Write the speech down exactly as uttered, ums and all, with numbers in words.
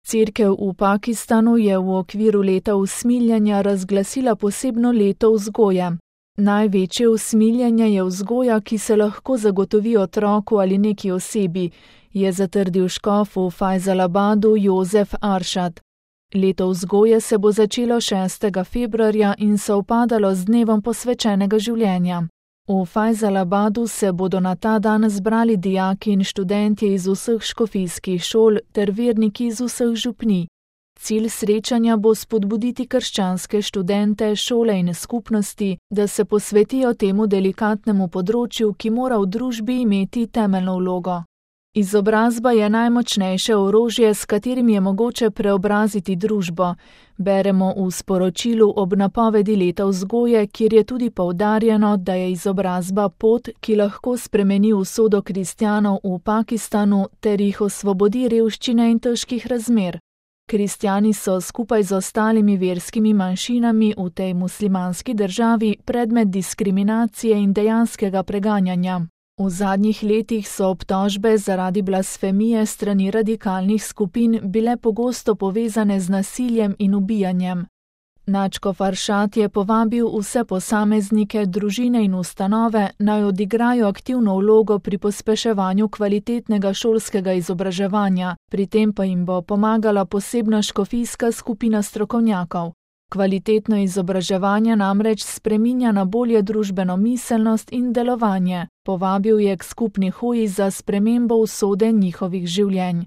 Cerkev v Pakistanu je v okviru leta usmiljenja razglasila posebno leto vzgoje. Največje usmiljenje je vzgoja, ki se lahko zagotovi otroku ali neki osebi, je zatrdil škof v Fajzalabadu Jozef Aršad. Leto vzgoje se bo začelo šestega februarja in sovpadalo z dnevom posvečenega življenja. V Fajzalabadu se bodo na ta dan zbrali dijaki in študentje iz vseh škofijskih šol ter verniki iz vseh župnij. Cilj srečanja bo spodbuditi krščanske študente, šole in skupnosti, da se posvetijo temu delikatnemu področju, ki mora v družbi imeti temeljno vlogo. Izobrazba je najmočnejše orožje, s katerim je mogoče preobraziti družbo, beremo v sporočilu ob napovedi leta vzgoje, kjer je tudi poudarjeno, da je izobrazba pot, ki lahko spremeni usodo kristjanov v Pakistanu ter jih osvobodi revščine in težkih razmer. Kristjani so skupaj z ostalimi verskimi manjšinami v tej muslimanski državi predmet diskriminacije in dejanskega preganjanja. V zadnjih letih so obtožbe zaradi blasfemije strani radikalnih skupin bile pogosto povezane z nasiljem in ubijanjem. Nadškof Aršad je povabil vse posameznike, družine in ustanove, naj odigrajo aktivno vlogo pri pospeševanju kvalitetnega šolskega izobraževanja, pri tem pa jim bo pomagala posebna škofijska skupina strokovnjakov. Kvalitetno izobraževanje namreč spreminja na bolje družbeno miselnost in delovanje, povabil je k skupni hoji za spremembo usode njihovih življenj.